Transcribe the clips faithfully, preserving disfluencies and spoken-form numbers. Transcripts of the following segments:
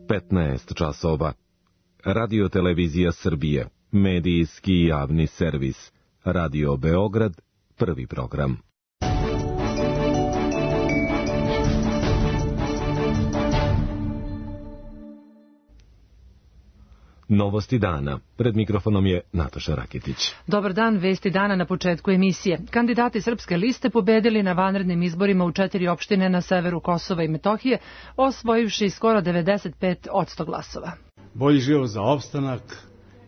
petnaest časova. Radio Televizija Srbije, medijski javni servis. Radio Beograd, prvi program. Novosti dana. Pred mikrofonom je Nataša Raketić. Dobar dan, vesti dana na početku emisije. Kandidati Srpske liste pobedili na vanrednim izborima u četiri opštine na severu Kosova i Metohije, osvojivši skoro devedeset pet posto glasova. Bolji život za opstanak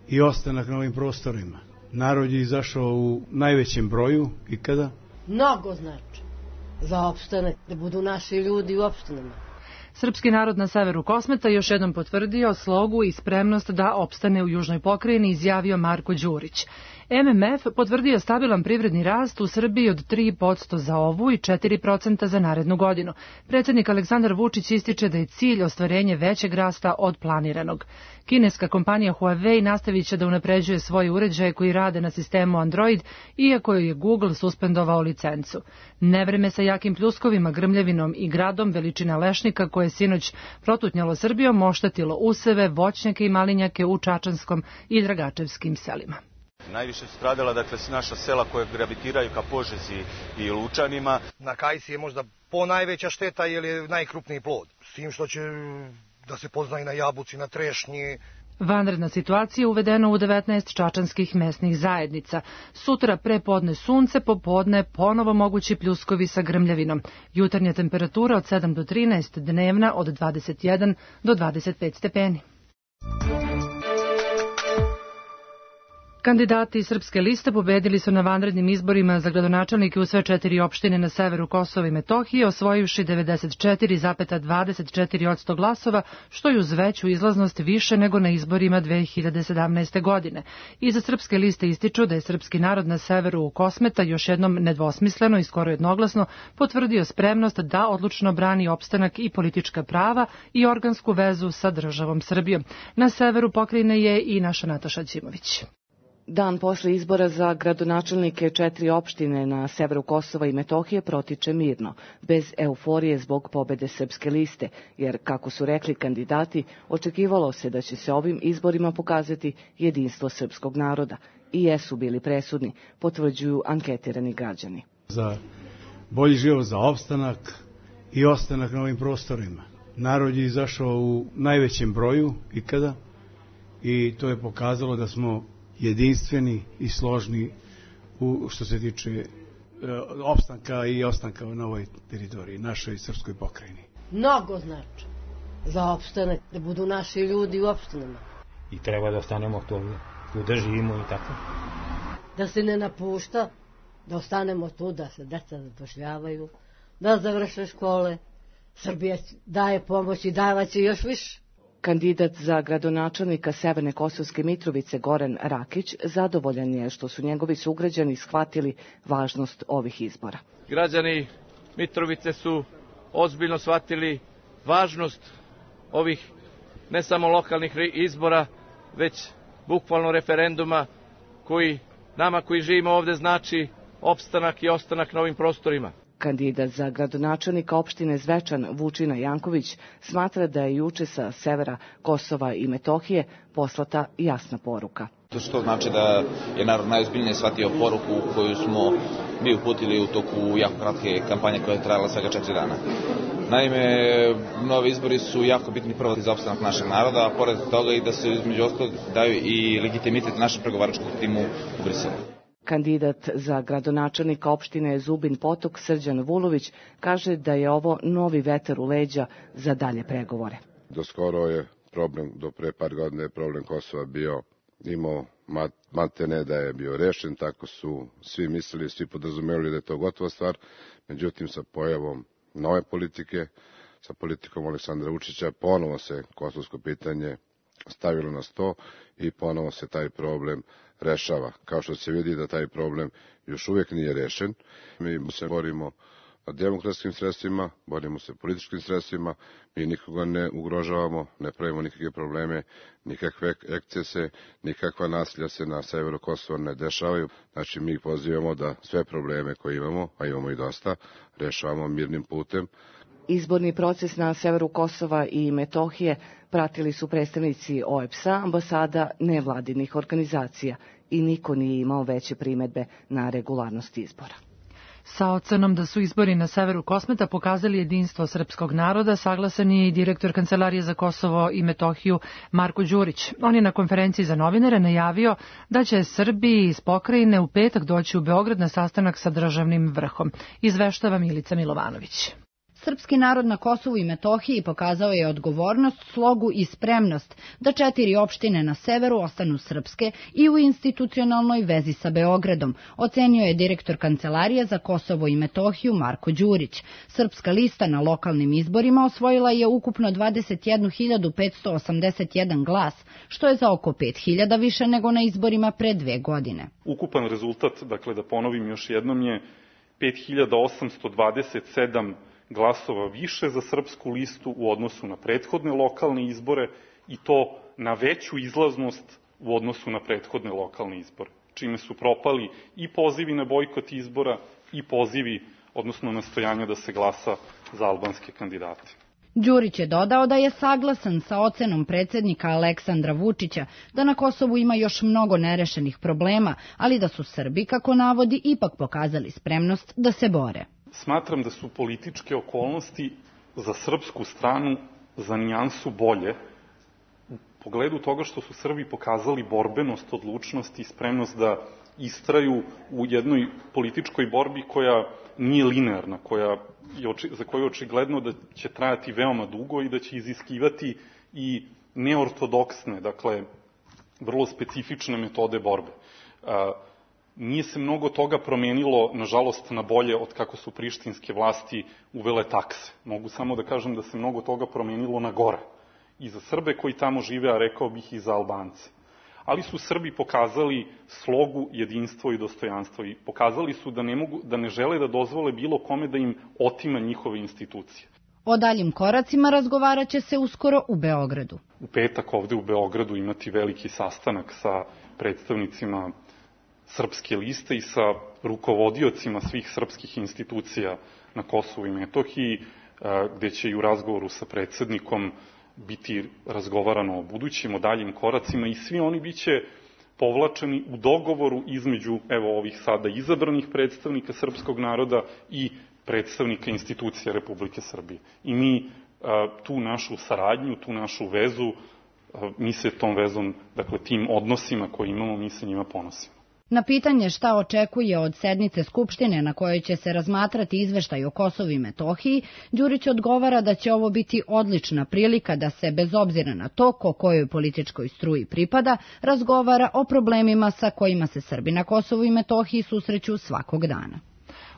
i ostanak na ovim prostorima. Narod je izašao u najvećem broju ikada. Mnogo znači za opstanak, da budu naši ljudi u opštinama. Srpski narod na severu Kosmeta još jednom potvrdio slogu i spremnost da opstane u južnoj pokrajini, izjavio Marko Đurić. M M F potvrdio stabilan privredni rast u Srbiji od tri posto za ovu i četiri posto za narednu godinu. Predsjednik Aleksandar Vučić ističe da je cilj ostvarenje većeg rasta od planiranog. Kineska kompanija Huawei nastavit će da unapređuje svoje uređaje koji rade na sistemu Android, iako je Google suspendovao licencu. Nevreme sa jakim pljuskovima, grmljavinom i gradom veličina lešnika koje je sinoć protutnjalo Srbijom oštetilo useve, voćnjake i malinjake u Čačanskom i Dragačevskim selima. Najviše su stradala, dakle, naša sela koje gravitiraju ka Požegi i Lučanima. Na Kajsi je možda ponajveća šteta jer je najkrupniji plod. S tim što će da se pozna i na jabuci, na trešnji. Vanredna situacija uvedena u devetnaest čačanskih mesnih zajednica. Sutra pre podne sunce, popodne ponovo mogući pljuskovi sa grmljavinom. Jutarnja temperatura od sedam do trinaest, dnevna od dvadeset jedan do dvadeset pet stepeni. Kandidati Srpske liste pobedili su na vanrednim izborima za gradonačelnike u sve četiri opštine na severu Kosova i Metohije, osvojivši devedeset četiri zarez dvadeset četiri posto glasova, što je uz veću izlaznost više nego na izborima dve hiljade sedamnaeste. godine. Iza Srpske liste ističu da je srpski narod na severu Kosmeta još jednom nedvosmisleno i skoro jednoglasno potvrdio spremnost da odlučno brani opstanak i politička prava i organsku vezu sa državom Srbijom. Na severu pokrajine je i naša Nataša Ćimović. Dan posle izbora za gradonačelnike četiri opštine na severu Kosova i Metohije protiče mirno, bez euforije zbog pobede Srpske liste, jer, kako su rekli kandidati, očekivalo se da će se ovim izborima pokazati jedinstvo srpskog naroda i jesu bili presudni, potvrđuju anketirani građani. Za bolji život za opstanak i ostanak na ovim prostorima. Narod je izašao u najvećem broju ikada i to je pokazalo da smo jedinstveni i složni u što se tiče e, opstanka i ostanka na ovoj teritoriji, našoj srpskoj pokrajini. Mnogo znači za opstanak, da budu naši ljudi u opštinama. I treba da ostanemo tu, tu da živimo i tako. Da se ne napušta, da ostanemo tu, da se deca zapošljavaju, da završe škole. Srbija daje pomoć i davaće još više. Kandidat za gradonačelnika Severne Kosovske Mitrovice Goran Rakić zadovoljan je što su njegovi sugrađani shvatili važnost ovih izbora. Građani Mitrovice su ozbiljno shvatili važnost ovih ne samo lokalnih izbora, već bukvalno referenduma koji nama koji živimo ovde znači opstanak i ostanak na ovim prostorima. Kandidat za gradonačelnika opštine Zvečan Vučina Janković smatra da je juče sa severa Kosova i Metohije poslata jasna poruka. To što znači da je narod najozbiljnije shvatio poruku koju smo mi uputili u toku jako kratke kampanje koja je trajala svega četiri dana. Naime, novi izbori su jako bitni prvo za opstanak našeg naroda, a pored toga i da se između ostalog daju i legitimitet našem pregovaračkom timu u Briselu. Kandidat za gradonačelnika opštine Zubin Potok Srđan Vulović kaže da je ovo novi vetar u leđa za dalje pregovore. Do skoro je problem, do pre par godina je problem Kosova bio, imao matene da je bio rešen, tako su svi mislili, svi podrazumeli da je to gotova stvar, međutim sa pojavom nove politike, sa politikom Aleksandra Vučića, ponovo se kosovsko pitanje stavilo na sto i ponovo se taj problem rešava. Kao što se vidi da taj problem još uvijek nije rešen. Mi se borimo demokratskim sredstvima, borimo se političkim sredstvima, mi nikoga ne ugrožavamo, ne pravimo nikakve probleme, nikakve ekcese, nikakva nasilja se na severu Kosova ne dešavaju. Znači mi pozivamo da sve probleme koje imamo, a imamo i dosta, rešavamo mirnim putem. Izborni proces na severu Kosova i Metohije pratili su predstavnici O E B S-a, ambasada, nevladinih organizacija i niko nije imao veće primedbe na regularnost izbora. Sa ocenom da su izbori na severu Kosmeta pokazali jedinstvo srpskog naroda, saglasan je i direktor Kancelarije za Kosovo i Metohiju Marko Đurić. On je na konferenciji za novinare najavio da će Srbiji iz pokrajine u petak doći u Beograd na sastanak sa državnim vrhom. Izveštava Milica Milovanović. Srpski narod na Kosovu i Metohiji pokazao je odgovornost, slogu i spremnost da četiri opštine na severu ostanu srpske i u institucionalnoj vezi sa Beogradom, ocenio je direktor Kancelarije za Kosovo i Metohiju Marko Đurić. Srpska lista na lokalnim izborima osvojila je ukupno dvadeset jednu hiljadu petsto osamdeset jedan glas, što je za oko pet hiljada više nego na izborima pre dve godine. Ukupan rezultat, dakle da ponovim još jednom, je pet hiljada osamsto dvadeset sedam glasova više za srpsku listu u odnosu na prethodne lokalne izbore i to na veću izlaznost u odnosu na prethodne lokalne izbore, čime su propali i pozivi na bojkot izbora i pozivi, odnosno nastojanja da se glasa za albanske kandidate. Đurić je dodao da je saglasan sa ocenom predsjednika Aleksandra Vučića da na Kosovu ima još mnogo nerešenih problema, ali da su Srbi, kako navodi, ipak pokazali spremnost da se bore. Smatram da su političke okolnosti za srpsku stranu za nijansu bolje u pogledu toga što su Srbi pokazali borbenost, odlučnost i spremnost da istraju u jednoj političkoj borbi koja nije linearna, koja je, za koju je očigledno da će trajati veoma dugo i da će iziskivati i neortodoksne, dakle, vrlo specifične metode borbe. Nije se mnogo toga promenilo, nažalost, na bolje od kako su prištinske vlasti uvele takse. Mogu samo da kažem da se mnogo toga promenilo na gore. I za Srbe koji tamo žive, a rekao bih i za Albance. Ali su Srbi pokazali slogu, jedinstvo i dostojanstvo i pokazali su da ne, mogu, da ne žele da dozvole bilo kome da im otima njihove institucije. O daljim koracima razgovarat će se uskoro u Beogradu. U petak ovde u Beogradu imati veliki sastanak sa predstavnicima srpske liste i sa rukovodiocima svih srpskih institucija na Kosovu i Metohiji, gde će i u razgovoru sa predsednikom biti razgovarano o budućim, o daljim koracima i svi oni biće povlačeni u dogovoru između evo ovih sada izabranih predstavnika srpskog naroda i predstavnika institucija Republike Srbije. I mi tu našu saradnju, tu našu vezu, mi se tom vezom, dakle tim odnosima koje imamo, mi se njima ponosimo. Na pitanje šta očekuje od sednice Skupštine na kojoj će se razmatrati izveštaj o Kosovu i Metohiji, Đurić odgovara da će ovo biti odlična prilika da se, bez obzira na to ko kojoj političkoj struji pripada, razgovara o problemima sa kojima se Srbi na Kosovu i Metohiji susreću svakog dana.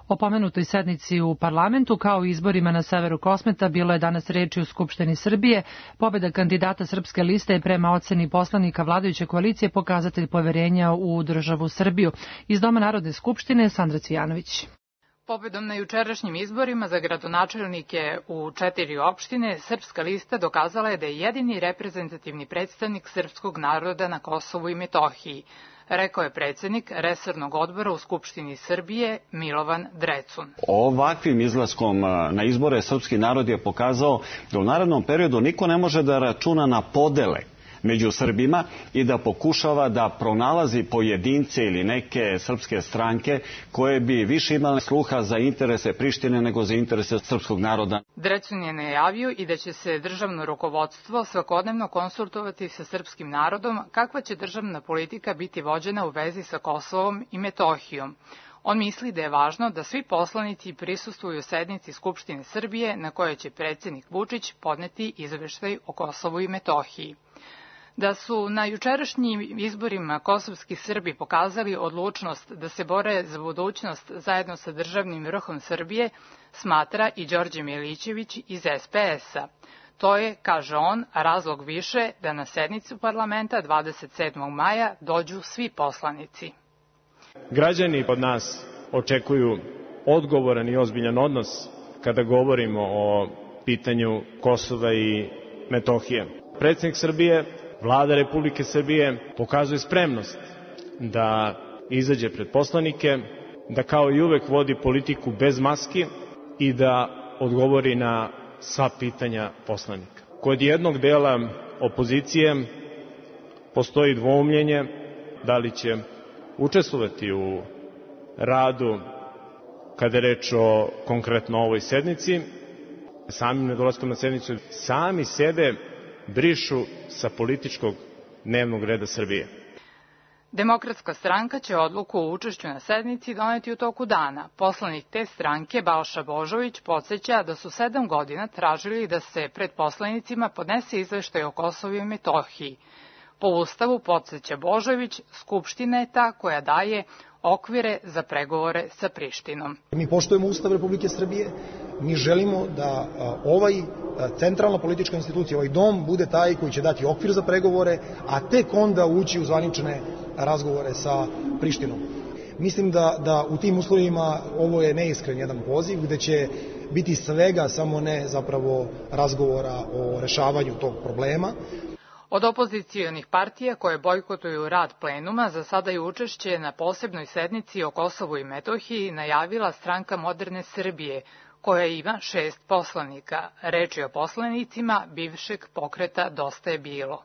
O pomenutoj sednici u parlamentu kao i izborima na severu Kosmeta bilo je danas reči u Skupštini Srbije. Pobeda kandidata Srpske liste je prema oceni poslanika vladajuće koalicije pokazatelj poverenja u državu Srbiju. Iz Doma Narodne skupštine Sandra Cvijanović. Pobedom na jučerašnjim izborima za gradonačelnike u četiri opštine, Srpska lista dokazala je da je jedini reprezentativni predstavnik srpskog naroda na Kosovu i Metohiji, rekao je predsednik resornog odbora u Skupštini Srbije Milovan Drecun. Ovakvim izlaskom na izbore srpski narod je pokazao da u narednom periodu niko ne može da računa na podele među Srbima i da pokušava da pronalazi pojedince ili neke srpske stranke koje bi više imale sluha za interese Prištine nego za interese srpskog naroda. Drecun je najavio i da će se državno rukovodstvo svakodnevno konsultovati sa srpskim narodom kakva će državna politika biti vođena u vezi sa Kosovom i Metohijom. On misli da je važno da svi poslanici prisustvuju sednici Skupštine Srbije na kojoj će predsjednik Vučić podneti izveštaj o Kosovu i Metohiji. Da su na jučerašnjim izborima kosovski Srbi pokazali odlučnost da se bore za budućnost zajedno sa državnim vrhom Srbije, smatra i Đorđe Milićević iz S P S-a. To je, kaže on, razlog više da na sednicu parlamenta dvadeset sedmog maja dođu svi poslanici. Građani od nas očekuju odgovoran i ozbiljan odnos kada govorimo o pitanju Kosova i Metohije. Predsjednik Srbije, Vlada Republike Srbije pokazuje spremnost da izađe pred poslanike, da kao i uvek vodi politiku bez maski i da odgovori na sva pitanja poslanika. Kod jednog dela opozicije postoji dvoumljenje da li će učestvovati u radu kada je reč o konkretno ovoj sednici. Samim nedolaskom na sednicu sami sebe brišu sa političkog dnevnog reda Srbije. Demokratska stranka će odluku o učešću na sednici doneti u toku dana. Poslanik te stranke, Balša Božović, podsjeća da su sedam godina tražili da se pred poslanicima podnese izveštaj o Kosovu i Metohiji. Po Ustavu, podsjeća Božović, Skupština je ta koja daje okvire za pregovore sa Prištinom. Mi poštujemo Ustav Republike Srbije, mi želimo da ovaj centralna politička institucija, ovaj dom, bude taj koji će dati okvir za pregovore, a tek onda ući u zvanične razgovore sa Prištinom. Mislim da, da u tim uslovima ovo je neiskren jedan poziv, gde će biti svega, samo ne zapravo razgovora o rešavanju tog problema. Od opozicijonih partija koje bojkotuju rad plenuma za sada je učešće na posebnoj sednici o Kosovu i Metohiji najavila Stranka moderne Srbije, koja ima šest poslanika. Reč je o poslanicima bivšeg pokreta Dosta je bilo.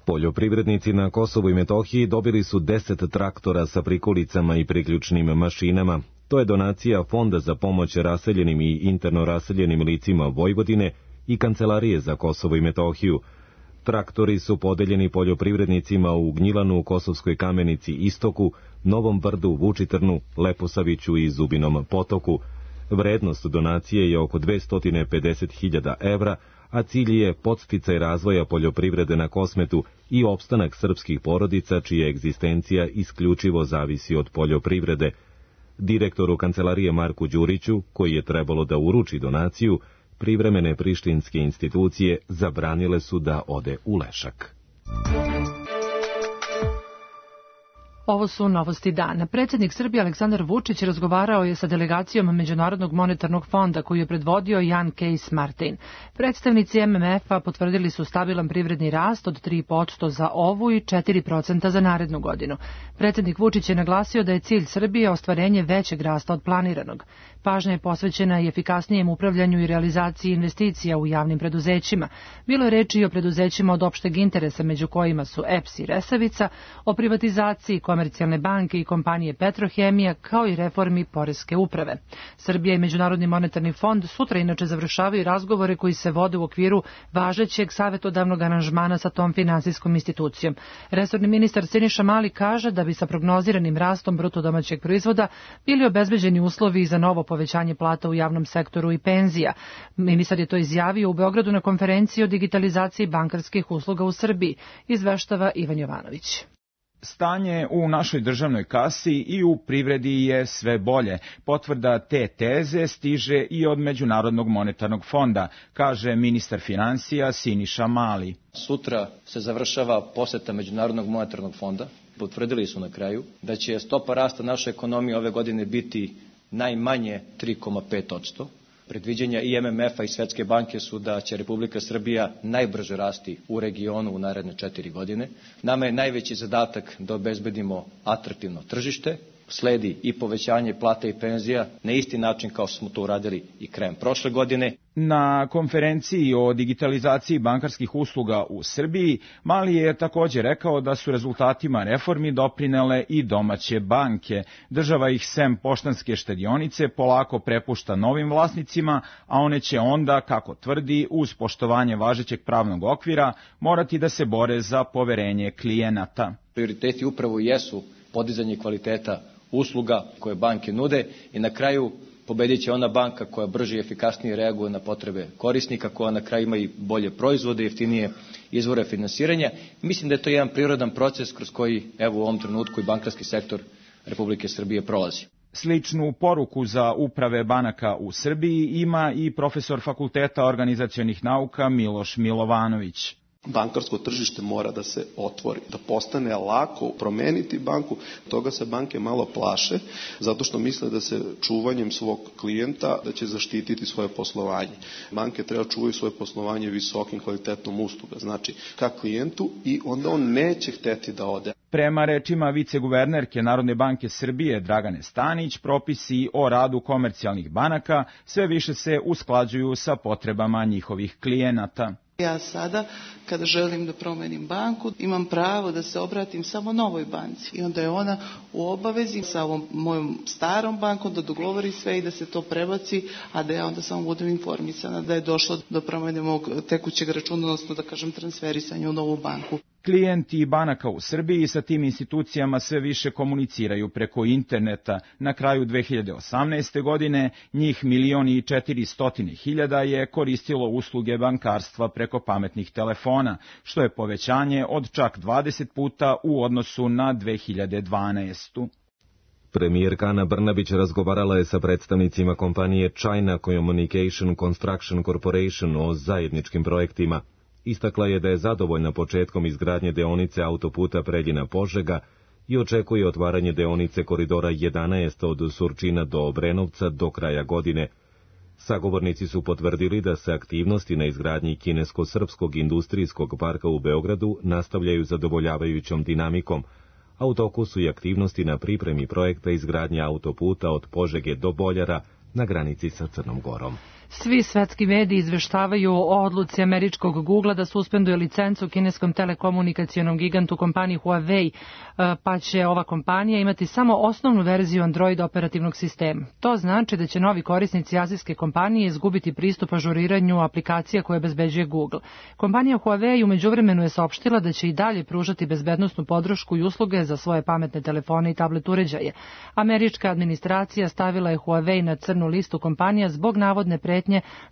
Poljoprivrednici na Kosovu i Metohiji dobili su deset traktora sa prikolicama i priključnim mašinama. To je donacija Fonda za pomoć raseljenim i interno raseljenim licima Vojvodine i Kancelarije za Kosovo i Metohiju. Traktori su podeljeni poljoprivrednicima u Gnjilanu, Kosovskoj Kamenici, Istoku, Novom Brdu, Vučitrnu, Leposaviću i Zubinom Potoku. Vrednost donacije je oko dvesta pedeset hiljada evra, a cilj je podsticaj razvoja poljoprivrede na Kosmetu i opstanak srpskih porodica čija egzistencija isključivo zavisi od poljoprivrede. Direktoru Kancelarije Marku Đuriću, koji je trebalo da uruči donaciju, privremene prištinske institucije zabranile su da ode u Lešak. Ovo su novosti dana. Predsjednik Srbije Aleksandar Vučić razgovarao je sa delegacijom Međunarodnog monetarnog fonda koju je predvodio Jan Case Martin. Predstavnici M M F-a potvrdili su stabilan privredni rast od tri posto za ovu i četiri posto za narednu godinu. Predsjednik Vučić je naglasio da je cilj Srbije ostvarenje većeg rasta od planiranog. Pažnja je posvećena i efikasnijem upravljanju i realizaciji investicija u javnim preduzećima. Bilo je reči i o preduzećima od opšteg interesa, među kojima su E P S i Resavica, o privatizaciji Komercijalne banke i kompanije Petrohemija, kao i reformi poreske uprave. Srbija i Međunarodni monetarni fond sutra inače završavaju razgovore koji se vode u okviru važećeg savjetodavnog aranžmana sa tom finansijskom institucijom. Resorni ministar Siniša Mali kaže da bi sa prognoziranim rastom bruto domaćeg proizvoda bili obezbeđeni uslovi za novo povećanje plata u javnom sektoru i penzija. Ministar je to izjavio u Beogradu na konferenciji o digitalizaciji bankarskih usluga u Srbiji, izveštava Ivan Jovanović. Stanje u našoj državnoj kasi i u privredi je sve bolje. Potvrda te teze stiže i od Međunarodnog monetarnog fonda, kaže ministar finansija Siniša Mali. Sutra se završava poseta Međunarodnog monetarnog fonda. Potvrdili su na kraju da će stopa rasta naše ekonomije ove godine biti najmanje tri zarez pet posto. Predviđenja i M M F-a i Svetske banke su da će Republika Srbija najbrže rasti u regionu u naredne četiri godine. Nama je najveći zadatak da obezbedimo atraktivno tržište, sledi i povećanje plata i penzija na isti način kao smo to uradili i krajem prošle godine. Na konferenciji o digitalizaciji bankarskih usluga u Srbiji, Mali je također rekao da su rezultatima reformi doprinele i domaće banke. Država ih sem poštanske štedionice polako prepušta novim vlasnicima, a one će onda, kako tvrdi, uz poštovanje važećeg pravnog okvira, morati da se bore za poverenje klijenata. Prioriteti upravo jesu podizanje kvaliteta usluga koje banke nude i na kraju pobedit će ona banka koja brže i efikasnije reaguje na potrebe korisnika, koja na kraju ima i bolje proizvode, jeftinije izvore finansiranja. Mislim da je to jedan prirodan proces kroz koji evo u ovom trenutku i bankarski sektor Republike Srbije prolazi. Sličnu poruku za uprave banaka u Srbiji ima i profesor Fakulteta organizacionih nauka Miloš Milovanović. Bankarsko tržište mora da se otvori, da postane lako promeniti banku. Toga se banke malo plaše, zato što misle da se čuvanjem svog klijenta da će zaštititi svoje poslovanje. Banke treba čuvaju svoje poslovanje visokim kvalitetom usluga, znači ka klijentu, i onda on neće hteti da ode. Prema rečima viceguvernerke Narodne banke Srbije Dragane Stanić, propisi o radu komercijalnih banaka sve više se usklađuju sa potrebama njihovih klijenata. Ja sada, kada želim da promenim banku, imam pravo da se obratim samo novoj banci i onda je ona u obavezi sa ovom mojom starom bankom da dogovori sve i da se to prebaci, a da ja onda samo budem informisana da je došlo do promene mog tekućeg računa, odnosno da kažem transferisanja u novu banku. Klijenti banaka u Srbiji sa tim institucijama sve više komuniciraju preko interneta. Na kraju dve hiljade osamnaeste. godine njih milion i četiristotine hiljada je koristilo usluge bankarstva preko pametnih telefona, što je povećanje od čak dvadeset puta u odnosu na dve hiljade dvanaestu. Premijerka Ana Brnabić razgovarala je sa predstavnicima kompanije China Communication Construction Corporation o zajedničkim projektima. Istakla je da je zadovoljna početkom izgradnje deonice autoputa Preljina-Požega i očekuje otvaranje deonice koridora jedanaest od Surčina do Obrenovca do kraja godine. Sagovornici su potvrdili da se aktivnosti na izgradnji kinesko-srpskog industrijskog parka u Beogradu nastavljaju zadovoljavajućom dinamikom, a u toku su i aktivnosti na pripremi projekta izgradnje autoputa od Požege do Boljara na granici sa Crnom Gorom. Svi svetski mediji izveštavaju o odluci američkog Googlea da suspenduje licencu kineskom telekomunikacionom gigantu kompaniji Huawei, pa će ova kompanija imati samo osnovnu verziju Android operativnog sistema. To znači da će novi korisnici azijske kompanije izgubiti pristup ažuriranju aplikacija koje obezbeđuje Google. Kompanija Huawei u međuvremenu je saopštila da će i dalje pružati bezbednosnu podršku i usluge za svoje pametne telefone i tablet uređaje. Američka administracija stavila je Huawei na crnu listu kompanija zbog navodne pretnje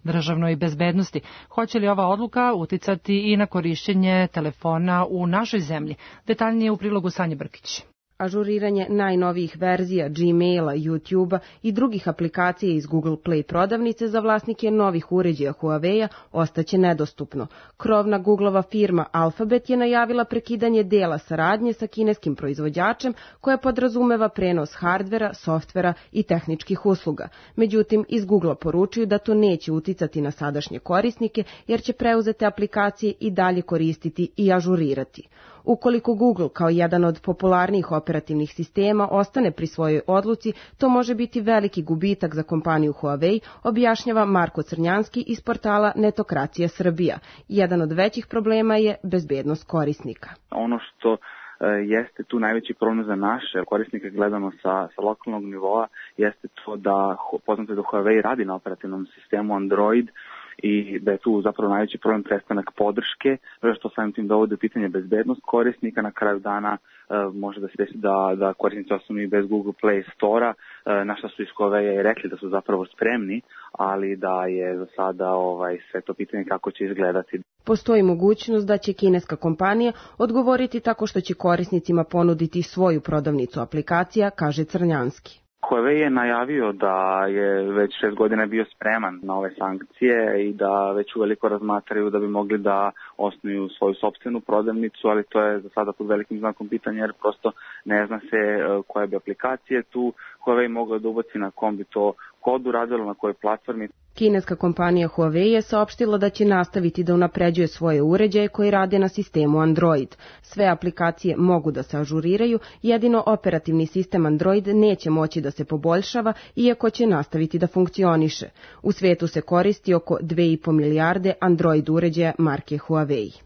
državnoj bezbednosti. Hoće li ova odluka uticati i na korišćenje telefona u našoj zemlji? Detaljnije u prilogu Sanje Brkić. Ažuriranje najnovijih verzija Gmaila, YouTubea i drugih aplikacija iz Google Play prodavnice za vlasnike novih uređaja Huawei-a ostaće nedostupno. Krovna Googleova firma Alphabet je najavila prekidanje dela saradnje sa kineskim proizvođačem koja podrazumeva prenos hardvera, softvera i tehničkih usluga. Međutim, iz Googlea poručuju da to neće uticati na sadašnje korisnike jer će preuzete aplikacije i dalje koristiti i ažurirati. Ukoliko Google kao jedan od popularnijih operativnih sistema ostane pri svojoj odluci, to može biti veliki gubitak za kompaniju Huawei, objašnjava Marko Crnjanski iz portala Netokracija Srbija. Jedan od većih problema je bezbednost korisnika. Ono što jeste tu najveći problem za naše korisnike gledano sa, sa lokalnog nivoa jeste to da poznato da Huawei radi na operativnom sistemu Android i da je tu zapravo najveći problem prestanak podrške, što samim tim dovode pitanje bezbednost korisnika. Na kraju dana e, može da se desi da, da korisnici ostanu bez Google Play Store-a, e, na što su iz Huawei i rekli da su zapravo spremni, ali da je za sada ovaj, sve to pitanje kako će izgledati. Postoji mogućnost da će kineska kompanija odgovoriti tako što će korisnicima ponuditi svoju prodavnicu aplikacija, kaže Crnjanski. Huawei je najavio da je već šest godina bio spreman na ove sankcije i da već uveliko razmatraju da bi mogli da osnuju svoju sopstvenu prodavnicu, ali to je za sada pod velikim znakom pitanja jer prosto ne zna se koje bi aplikacije tu Huawei mogla da ubaci, na kom bi to kodu radilo, na kojoj platformi. Kineska kompanija Huawei je saopštila da će nastaviti da unapređuje svoje uređaje koji rade na sistemu Android. Sve aplikacije mogu da se ažuriraju, jedino operativni sistem Android neće moći da se poboljšava, iako će nastaviti da funkcioniše. U svetu se koristi oko dve i po milijarde Android uređaja marke Huawei.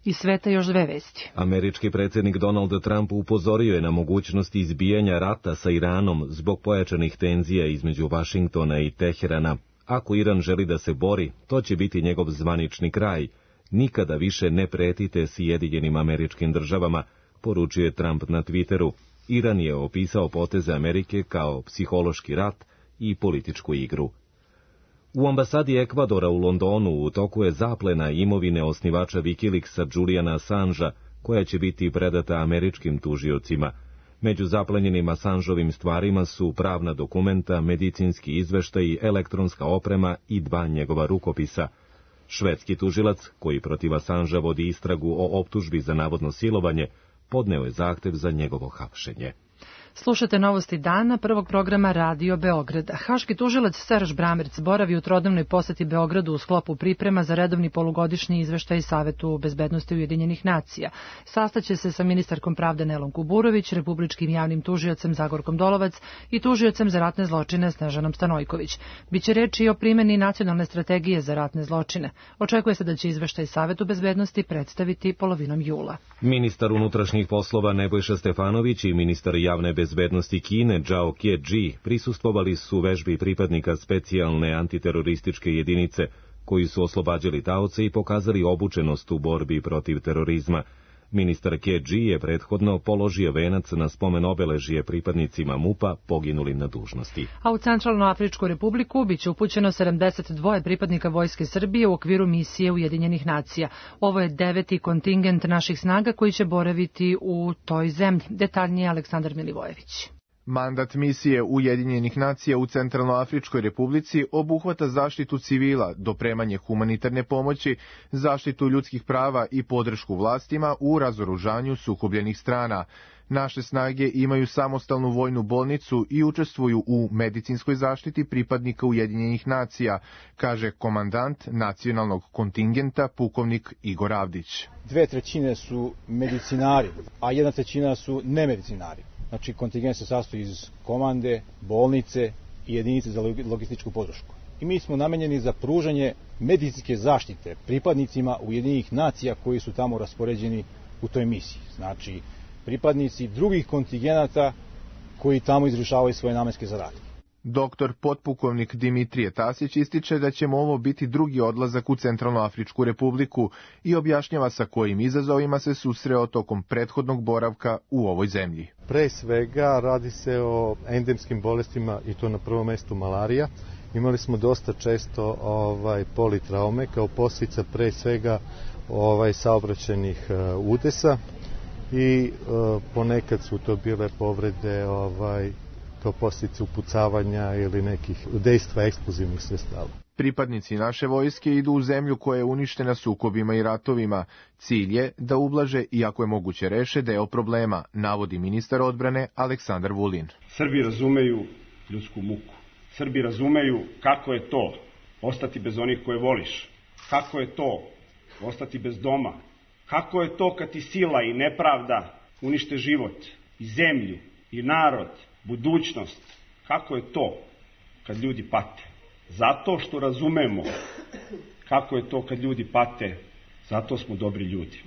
Iz sveta još dve vesti. Američki predsjednik Donald Trump upozorio je na mogućnost izbijanja rata sa Iranom zbog pojačanih tenzija između Vašingtona i Teherana. Ako Iran želi da se bori, to će biti njegov zvanični kraj. Nikada više ne pretite Sjedinjenim Američkim Državama, poručio je Trump na Twitteru. Iran je opisao poteze Amerike kao psihološki rat i političku igru. U ambasadi Ekvadora u Londonu u toku je zaplena imovine osnivača Wikileaksa Juliana Assangea, koja će biti predata američkim tužiocima. Među zaplenjenim Assangeovim stvarima su pravna dokumenta, medicinski izveštaji, elektronska oprema i dva njegova rukopisa. Švedski tužilac, koji protiv Assangea vodi istragu o optužbi za navodno silovanje, podneo je zahtev za njegovo hapšenje. Slušate novosti dana prvog programa Radio Beograda. Haški tužilac Serž Bramerc boravi u trodnevnoj poseti Beogradu u sklopu priprema za redovni polugodišnji izveštaj Savetu bezbednosti Ujedinjenih nacija. Sastaće se sa ministarkom pravde Nelom Kuburović, republičkim javnim tužiocem Zagorkom Dolovac i tužiocem za ratne zločine Snežanom Stanojković. Biće reči i o primjeni nacionalne strategije za ratne zločine. Očekuje se da će izveštaj Savetu bezbednosti predstaviti polovinom jula. Ministar unutrašnjih poslova Nebojša Stefanović i ministar javne bezbednosti Kine Zhao Keji prisustvovali su vežbi pripadnika specijalne antiterorističke jedinice koji su oslobađali taoce i pokazali obučenost u borbi protiv terorizma. Ministar Keji je prethodno položio venac na spomen obeležje pripadnicima MUP-a poginulim na dužnosti. A u Centralnoafričku republiku biće upućeno sedamdeset dva pripadnika Vojske Srbije u okviru misije Ujedinjenih nacija. Ovo je deveti kontingent naših snaga koji će boraviti u toj zemlji. Detaljnije Aleksandar Milivojević. Mandat misije Ujedinjenih nacija u Centralnoafričkoj republici obuhvata zaštitu civila, dopremanje humanitarne pomoći, zaštitu ljudskih prava i podršku vlastima u razoružanju sukobljenih strana. Naše snage imaju samostalnu vojnu bolnicu i učestvuju u medicinskoj zaštiti pripadnika Ujedinjenih nacija, kaže komandant nacionalnog kontingenta pukovnik Igor Avdić. Dve trećine su medicinari, a jedna trećina su nemedicinari. Znači, kontingent se sastoji iz komande, bolnice i jedinice za logističku podršku. I mi smo namenjeni za pružanje medicinske zaštite pripadnicima Ujedinjenih nacija koji su tamo raspoređeni u toj misiji. Znači, pripadnici drugih kontingenata koji tamo izvršavaju svoje namenske zadatke. Doktor potpukovnik Dimitrije Tasić ističe da će mu ovo biti drugi odlazak u Centralnoafričku republiku i objašnjava sa kojim izazovima se susreo tokom prethodnog boravka u ovoj zemlji. Pre svega radi se o endemskim bolestima i to na prvom mestu malarija. Imali smo dosta često ovaj politraume kao posljedica pre svega ovaj saobraćajnih uh, udesa i uh, ponekad su to bile povrede ovaj kao posljedice upucavanja ili nekih dejstva eksplozivnih sredstava. Pripadnici naše vojske idu u zemlju koja je uništena sukobima i ratovima. Cilj je da ublaže i ako je moguće reše deo problema, navodi ministar odbrane Aleksandar Vulin. Srbi razumeju ljudsku muku. Srbi razumeju kako je to ostati bez onih koje voliš. Kako je to ostati bez doma. Kako je to kad ti sila i nepravda unište život i zemlju i narod, budućnost. Kako je to kad ljudi pate? Zato što razumemo kako je to kad ljudi pate, zato smo dobri ljudi.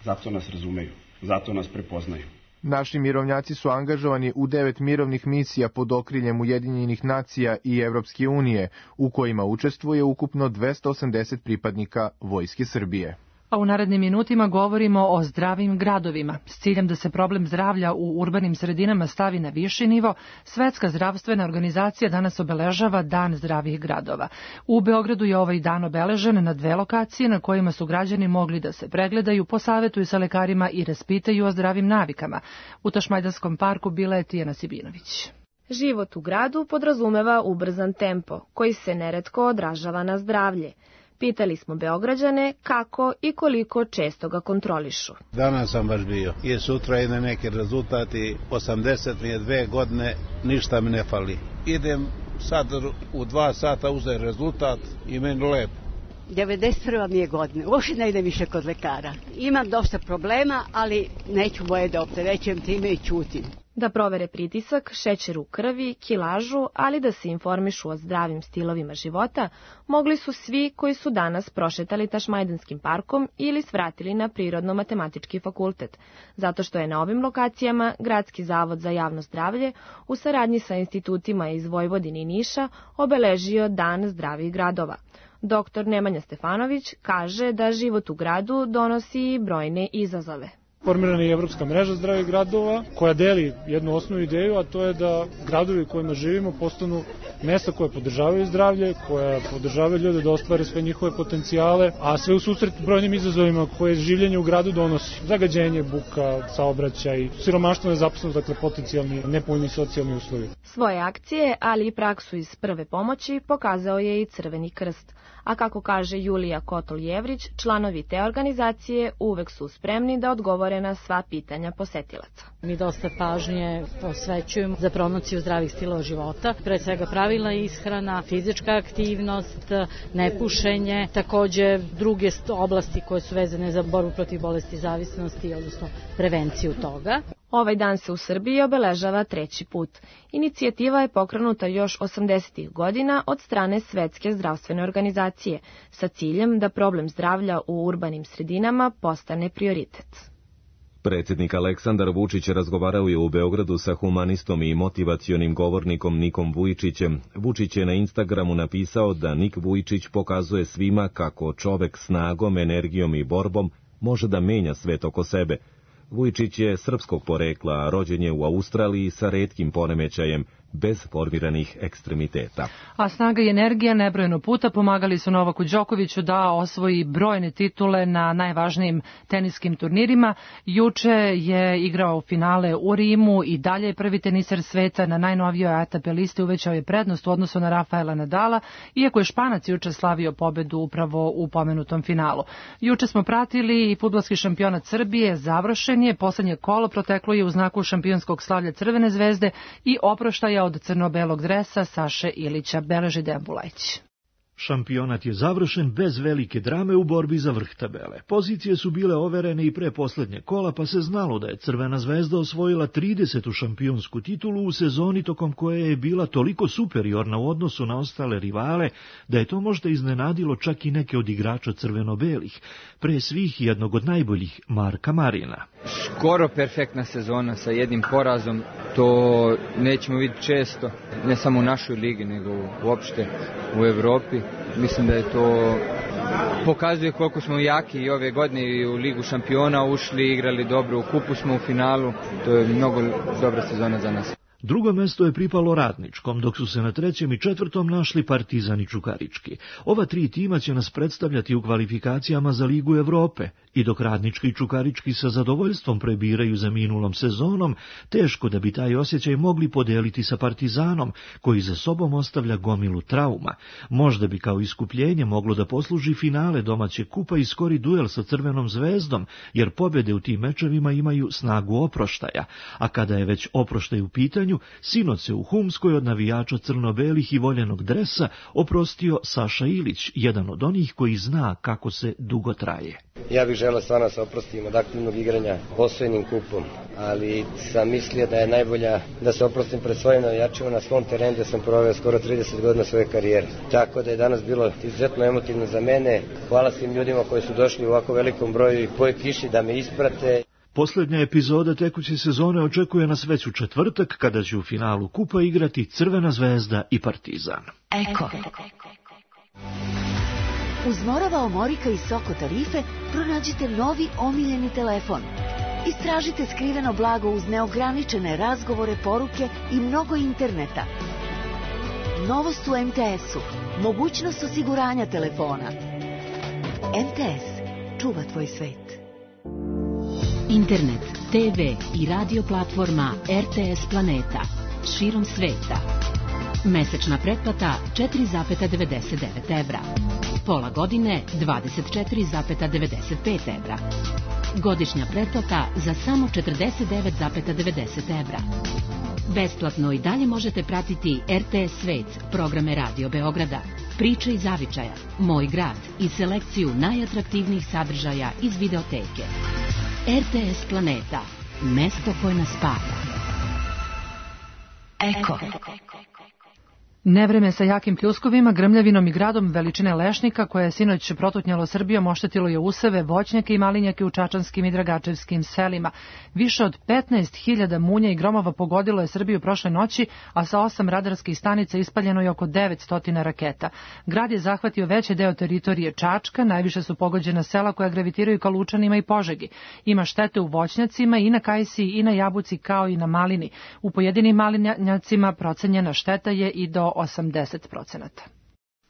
Zato nas razumeju, zato nas prepoznaju. Naši mirovnjaci su angažovani u devet mirovnih misija pod okriljem Ujedinjenih nacija i Evropske unije, u kojima učestvuje ukupno dvesta osamdeset pripadnika Vojske Srbije. A u narednim minutima govorimo o zdravim gradovima. S ciljem da se problem zdravlja u urbanim sredinama stavi na viši nivo, Svetska zdravstvena organizacija danas obeležava Dan zdravih gradova. U Beogradu je ovaj dan obeležen na dve lokacije na kojima su građani mogli da se pregledaju, posavetuju sa lekarima i raspitaju o zdravim navikama. U Tašmajdanskom parku bila je Tijana Sibinović. Život u gradu podrazumeva ubrzan tempo, koji se neretko odražava na zdravlje. Pitali smo Beograđane kako i koliko često ga kontrolišu. Danas sam baš bio i sutra ide neki rezultati, osamdeset mi je dve godine, ništa mi ne fali. Idem sad u dva sata uzeti rezultat i meni lepo. devedeset prva mi je godina, uopšte ne idem više kod lekara. Imam dosta problema, ali neću moje da opterećujem time i ćutim. Da provere pritisak, šećer u krvi, kilažu, ali da se informišu o zdravim stilovima života, mogli su svi koji su danas prošetali Tašmajdanskim parkom ili svratili na Prirodno-matematički fakultet, zato što je na ovim lokacijama Gradski zavod za javno zdravlje u saradnji sa institutima iz Vojvodine i Niša obeležio Dan zdravih gradova. Doktor Nemanja Stefanović kaže da život u gradu donosi i brojne izazove. Formirana je Evropska mreža zdravih gradova koja deli jednu osnovnu ideju, a to je da gradovi u kojima živimo postanu mesta koje podržavaju zdravlje, koja podržavaju ljude da ostvare sve njihove potencijale, a sve u susret brojnim izazovima koje življenje u gradu donosi. Zagađenje, buka, saobraćaj, siromaštvo, nezaposlenost, dakle potencijalni nepovoljni socijalni uslovi. Svoje akcije, ali i praksu iz prve pomoći pokazao je i Crveni krst. a kako kaže Julija Kotol-Jevrić, članovi te organizacije uvek su spremni da odgovore na sva pitanja posetilaca. Mi dosta pažnje posvećujemo za promociju zdravih stilova života, pre svega pravilna ishrana, fizička aktivnost, nepušenje, takođe druge oblasti koje su vezane za borbu protiv bolesti zavisnosti, odnosno prevenciju toga. Ovaj dan se u Srbiji obeležava treći put. Inicijativa je pokrenuta još osamdesetih godina od strane Svetske zdravstvene organizacije sa ciljem da problem zdravlja u urbanim sredinama postane prioritet. Predsjednik Aleksandar Vučić razgovarao je u Beogradu sa humanistom i motivacionim govornikom Nikom Vujčićem. Vučić je na Instagramu napisao da Nik Vujčić pokazuje svima kako čovek snagom, energijom i borbom može da menja svet oko sebe. Vujčić je srpskog porekla, a rođen je u Australiji sa retkim poremećajem, bez formiranih ekstremiteta. A snaga i energija nebrojeno puta pomagali su Novaku Đokoviću da osvoji brojne titule na najvažnijim teniskim turnirima. Juče je igrao finale u Rimu i dalje je prvi teniser sveta. Na najnovijoj A T P listi uvećao je prednost u odnosu na Rafaela Nadala, iako je Španac juče slavio pobedu upravo u pomenutom finalu. Juče smo pratili i fudbalski šampionat Srbije, završen je, poslednje kolo proteklo je u znaku šampionskog slavlja Crvene zvezde i oproštaja od crno-belog dresa Saše Ilića, beleži Dejan Bulajić. Šampionat je završen bez velike drame u borbi za vrh tabele. Pozicije su bile overene i pre poslednje kola, pa se znalo da je Crvena zvezda osvojila tridesetu šampionsku titulu u sezoni tokom koje je bila toliko superiorna u odnosu na ostale rivale, da je to možda iznenadilo čak i neke od igrača crveno-belih, pre svih jednog od najboljih, Marka Marina. Skoro perfektna sezona sa jednim porazom, to nećemo vidjeti često, ne samo u našoj ligi, nego uopšte u Evropi. Mislim da je to pokazuje koliko smo jaki i ove godine i u Ligu šampiona ušli, igrali dobro, u kupu smo u finalu, to je mnogo dobra sezona za nas. Drugo mesto je pripalo Radničkom, dok su se na trećem i četvrtom našli Partizan i Čukarički. Ova tri tima će nas predstavljati u kvalifikacijama za Ligu Evrope i dok Radnički i Čukarički sa zadovoljstvom prebiraju za minulom sezonom, teško da bi taj osjećaj mogli podeliti sa Partizanom, koji za sobom ostavlja gomilu trauma. Možda bi kao iskupljenje moglo da posluži finale domaće kupa i skori duel sa Crvenom zvezdom, jer pobjede u tim mečevima imaju snagu oproštaja, a kada je već oproštaj u pitanju, sinoć se u Humskoj od navijača crno-belih i voljenog dresa oprostio Saša Ilić, jedan od onih koji zna kako se dugo traje. Ja bih želeo stvarno se oprostim od aktivnog igranja osvojenim kupom, ali sam mislio da je najbolja da se oprostim pred svojim navijačima na svom terenu gde sam proveo skoro trideset godina svoje karijere. Tako da je danas bilo izuzetno emotivno za mene. Hvala svim ljudima koji su došli u ovako velikom broju i koji kiši da me isprate. Posljednja epizoda tekuće sezone očekuje nas već u četvrtak, kada će u finalu kupa igrati Crvena zvezda i Partizan. Eko. Uz Morava Omorika i Soko tarife pronađite novi omiljeni telefon. Istražite skriveno blago uz neograničene razgovore, poruke i mnogo interneta. Novost u em te esu. Mogućnost osiguranja telefona. em te es. Čuva tvoj svet. Internet, te ve i radio platforma er te es Planeta. Širom sveta. Mesečna pretplata četiri zarez devedeset devet evra. Pola godine dvadeset četiri zarez devedeset pet evra. Godišnja pretplata za samo četrdeset devet zarez devedeset evra. Besplatno i dalje možete pratiti er te es Svet, programe Radio Beograda, Priče iz Zavičaja, Moj grad i selekciju najatraktivnijih sadržaja iz videoteke. er te es Planeta, mesto koje nas spaja. Eko. Nevreme sa jakim pljuskovima, grmljavinom i gradom veličine lešnika koje je sinoć protutnjalo Srbijom oštetilo je useve, voćnjake i malinjake u čačanskim i dragačevskim selima. Više od petnaest hiljada munja i gromova pogodilo je Srbiju prošle noći, a sa osam radarskih stanica ispaljeno je oko devetsto raketa. Grad je zahvatio veći deo teritorije Čačka, najviše su pogođena sela koja gravitiraju ka Lučanima i Požegi. Ima štete u voćnjacima i na kajsiji i na jabuci kao i na malini. U pojedinim malinjacima procenjena šteta je i do osamdeset procenata.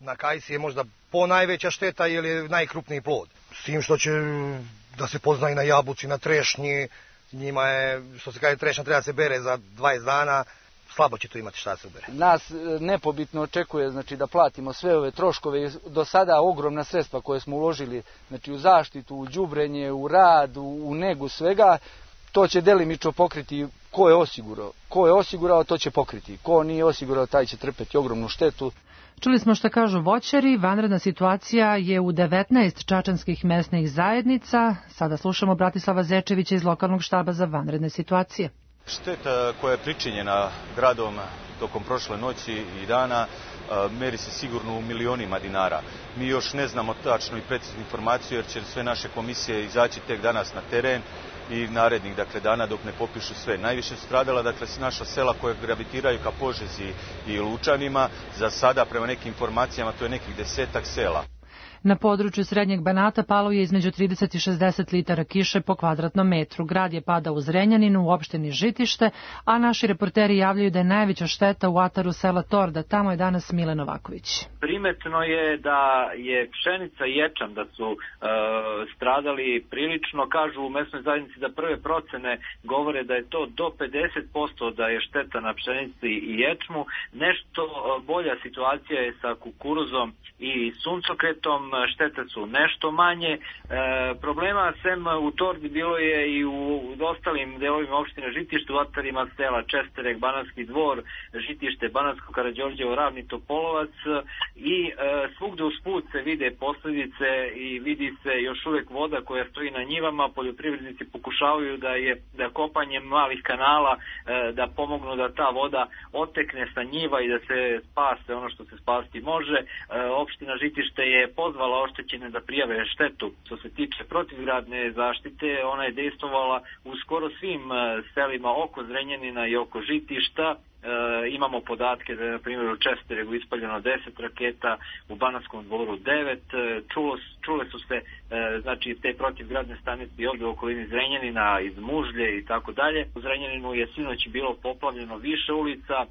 Na kajsi je možda po najveća šteta jer je najkrupniji plod. S tim što će da se pozna i na jabuci, na trešnji, njima je, što se kaže, trešnja treba se bere za dvadeset dana, slabo će to imati šta se ubere. Nas nepobitno očekuje znači da platimo sve ove troškove, do sada ogromna sredstva koje smo uložili znači u zaštitu, u đubrenje, u rad, u, u negu svega, to će delimično pokriti ko je osigurao. Ko je osigurao, to će pokriti. Ko nije osigurao, taj će trpeti ogromnu štetu. Čuli smo šta kažu voćari, vanredna situacija je u devetnaest čačanskih mesnih zajednica. Sada slušamo Bratislava Zečevića iz lokalnog štaba za vanredne situacije. Šteta koja je pričinjena gradom tokom prošle noći i dana meri se sigurno u milionima dinara. Mi još ne znamo tačnu i preciznu informaciju jer će sve naše komisije izaći tek danas na teren i narednih dakle, dana dok ne popišu sve. Najviše su stradala dakle, naša sela koje gravitiraju ka Požezi i Lučanima. Za sada, prema nekim informacijama, to je nekih desetak sela. Na području Srednjeg Banata palo je između trideset i šezdeset litara kiše po kvadratnom metru. Grad je padao u Zrenjaninu, u opštini Žitište, a naši reporteri javljaju da je najveća šteta u ataru sela Torda. Tamo je danas Mile Novaković. Primetno je da je pšenica i ječam da su e, stradali prilično. Kažu u mesnoj zajednici da prve procene govore da je to do pedeset posto da je šteta na pšenici i ječmu. Nešto bolja situacija je sa kukuruzom i suncokretom. Štete su nešto manje. E, problema sem u Tordi bilo je i u ostalim delovima opštine Žitište, u atarima sela Česterek, Banatski dvor, Žitište, Banatsko Karađorđevo, Ravni Topolovac i e, svugde usput se vide posljedice i vidi se još uvek voda koja stoji na njivama. Poljoprivrednici pokušavaju da je da kopanjem malih kanala e, da pomognu da ta voda otekne sa njiva i da se spase ono što se spasti može. E, opština Žitište je pozvala oštećene da prijave štetu. Što se tiče protivgradne zaštite, ona je dejstvovala u skoro svim selima oko Zrenjanina i oko Žitišta. E, imamo podatke da je na primjer u Česteregu ispaljeno deset raketa, u Banatskom dvoru devet, čulo, čule su se e, znači te protivgradne stanice i ovdje u okolini Zrenjanina, iz Mužlje i tako dalje. U Zrenjaninu je sinoć bilo poplavljeno više ulica, e,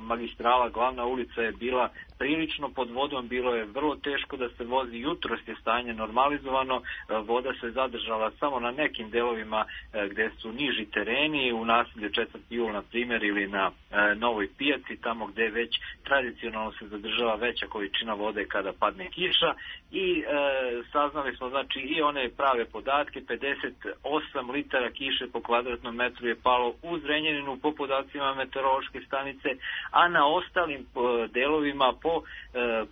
magistrala, glavna ulica je bila prilično pod vodom, bilo je vrlo teško da se vozi, jutros je stanje normalizovano, e, voda se zadržala samo na nekim delovima e, gde su niži tereni, u naselju četvrti jul na primjer ili na e, Novoj Pijaci, tamo gde već tradicionalno se zadržava veća količina vode kada padne kiša i e, saznali smo znači i one prave podatke, pedeset osam litara kiše po kvadratnom metru je palo u Zrenjaninu po podacima meteorološke stanice, a na ostalim e, delovima po e,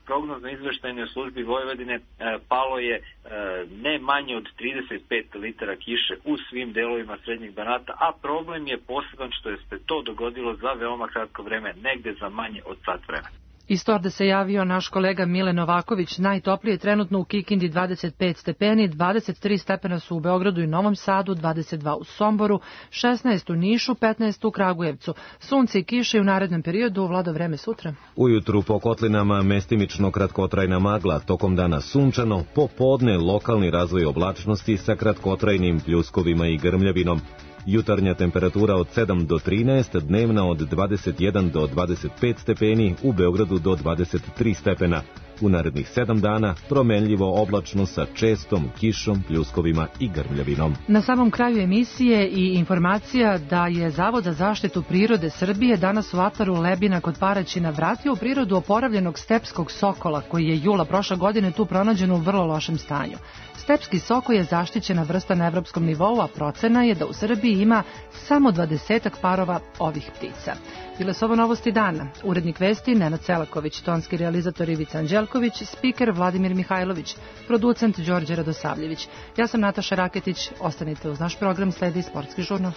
prognozno izveštajnoj službi Vojvodine e, palo je e, ne manje od trideset pet litara kiše u svim delovima Srednjeg Banata, a problem je poseban što je se to dogodilo za veoma kratko vreme, negde za manje od sat vremena. Iz Torde se javio naš kolega Mile Novaković. Najtoplije je trenutno u Kikindi dvadeset pet stepeni, dvadeset tri stepena su u Beogradu i Novom Sadu, dvadeset dva u Somboru, šesnaest u Nišu, petnaest u Kragujevcu. Sunce i kiše u narednom periodu, vlada vreme sutra. Ujutru po kotlinama mestimično kratkotrajna magla, tokom dana sunčano, popodne lokalni razvoj oblačnosti sa kratkotrajnim pljuskovima i grmljavinom. Jutarnja temperatura od sedam do trinaest, dnevna od dvadeset jedan do dvadeset pet stepeni, u Beogradu do dvadeset tri stepena. U narednih sedam dana promenljivo oblačno sa čestom kišom, pljuskovima i grmljavinom. Na samom kraju emisije i informacija da je Zavod za zaštitu prirode Srbije danas u ataru Lebina kod Paraćina vratio u prirodu oporavljenog stepskog sokola koji je jula prošle godine tu pronađen u vrlo lošem stanju. Stepski soko je zaštićena vrsta na evropskom nivou, a procena je da u Srbiji ima samo dvadesetak parova ovih ptica. Bile su ovo novosti dana. Urednik vesti Nenad Selaković, tonski realizator Ivica Anđelković, spiker Vladimir Mihajlović, producent Đorđe Radosavljević. Ja sam Nataša Raketić, ostanite uz naš program, sledi Sportski žurnal.